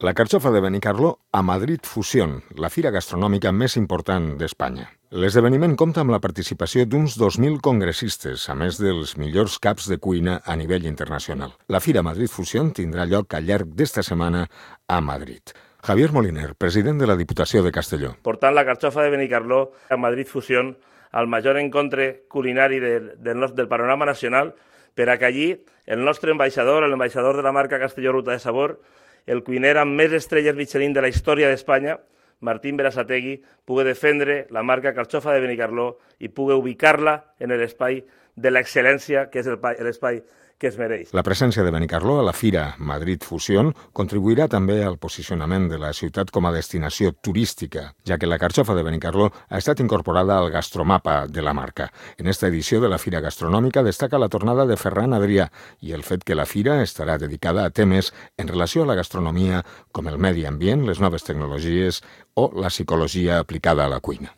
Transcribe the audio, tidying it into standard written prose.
La carxofa de Benicarló a Madrid Fusión, la fira gastronòmica més important d'Espanya. L'esdeveniment compta amb la participació d'uns 2.000 congressistes, a més dels millors caps de cuina a nivell internacional. La fira Madrid Fusión tindrà lloc al llarg d'esta setmana a Madrid. Javier Moliner, president de la Diputació de Castelló. Portant la carxofa de Benicarló a Madrid Fusión, al major encontre culinari del panorama nacional, per acollir el nostre ambaixador, l'ambaixador de la marca Castelló Ruta de Sabor, el cuiner amb més estrelles Michelin de la història d'Espanya, Martín Berasategui, pugui defendre la marca carxofa de Benicarló i pugui ubicar-la en l'espai de l'excel·lència, que és l'espai que es mereix. La presència de Benicarló a la Fira Madrid Fusión contribuirà també al posicionament de la ciutat com a destinació turística, ja que la carxofa de Benicarló ha estat incorporada al gastromapa de la marca. En esta edició de la Fira Gastronòmica destaca la tornada de Ferran Adrià i el fet que la fira estarà dedicada a temes en relació a la gastronomia com el medi ambient, les noves tecnologies o la psicologia aplicada a la cuina.